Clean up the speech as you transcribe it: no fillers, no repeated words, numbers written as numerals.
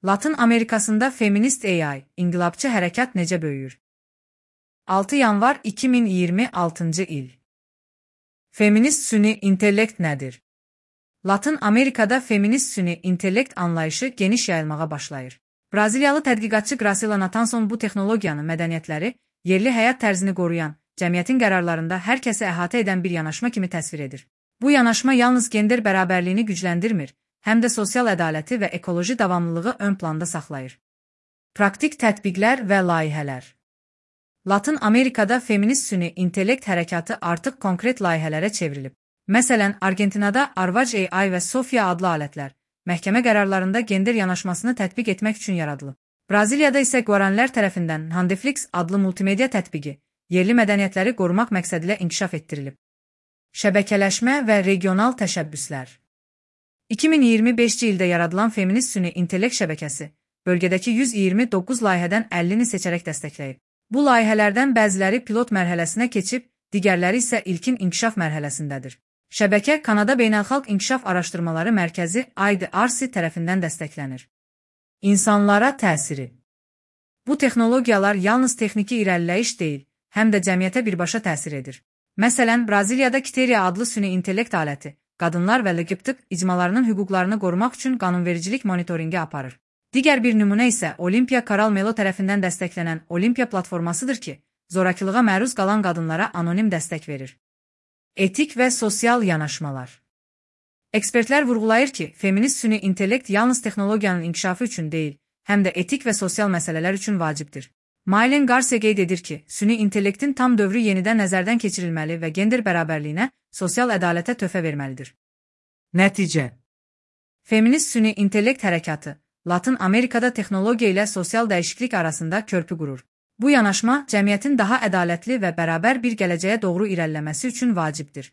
Latın Amerikasında feminist AI, inqilabçı hərəkat necə böyüyür? 6 yanvar 2026 il. Feminist süni intellekt nədir? Latın Amerikada feminist süni intellekt anlayışı geniş yayılmağa başlayır. Braziliyalı tədqiqatçı Graciela Natanson bu texnologiyanı mədəniyyətləri, yerli həyat tərzini qoruyan, cəmiyyətin qərarlarında hər kəsi əhatə edən bir yanaşma kimi təsvir edir. Bu yanaşma yalnız gender bərabərliyini gücləndirmir, həm də sosial ədaləti və ekoloji davamlılığı ön planda saxlayır. Praktik tətbiqlər və layihələr. Latın Amerikada feminist süni intellekt hərəkatı artıq konkret layihələrə çevrilib. Məsələn, Argentinada Arvaj AI və Sofia adlı alətlər, məhkəmə qərarlarında gender yanaşmasını tətbiq etmək üçün yaradılıb. Braziliyada isə Guaranilər tərəfindən Handeflix adlı multimedia tətbiqi, yerli mədəniyyətləri qorumaq məqsədilə inkişaf etdirilib. Şəbəkələşmə və regional təşəbbüslər. 2025-ci ildə yaradılan feminist süni intellekt şəbəkəsi, bölgədəki 129 layihədən 50-ni seçərək dəstəkləyib. Bu layihələrdən bəziləri pilot mərhələsinə keçib, digərləri isə ilkin inkişaf mərhələsindədir. Şəbəkə Kanada Beynəlxalq İnkişaf Araşdırmaları Mərkəzi IDRC tərəfindən dəstəklənir. İnsanlara təsiri. Bu texnologiyalar yalnız texniki irəliləyiş deyil, həm də cəmiyyətə birbaşa təsir edir. Məsələn, Braziliyada Kiteria adlı süni intellekt aləti, qadınlar və LGBT icmalarının hüquqlarını qorumaq üçün qanunvericilik monitoringi aparır. Digər bir nümunə isə Olimpiya Coral Melo tərəfindən dəstəklənən Olimpiya platformasıdır ki, zorakılığa məruz qalan qadınlara anonim dəstək verir. Etik və sosial yanaşmalar. Ekspertlər vurğulayır ki, feminist süni intellekt yalnız texnologiyanın inkişafı üçün deyil, həm də etik və sosial məsələlər üçün vacibdir. Maylen Garcia qeyd edir ki, süni intellektin tam dövrü yenidən nəzərdən keçirilməli və gender bərabərliyinə, sosial ədalətə töhfə verməlidir. Nəticə. Feminist süni intellekt hərəkatı Latın Amerikada texnologiya ilə sosial dəyişiklik arasında körpü qurur. Bu yanaşma cəmiyyətin daha ədalətli və bərabər bir gələcəyə doğru irəliləməsi üçün vacibdir.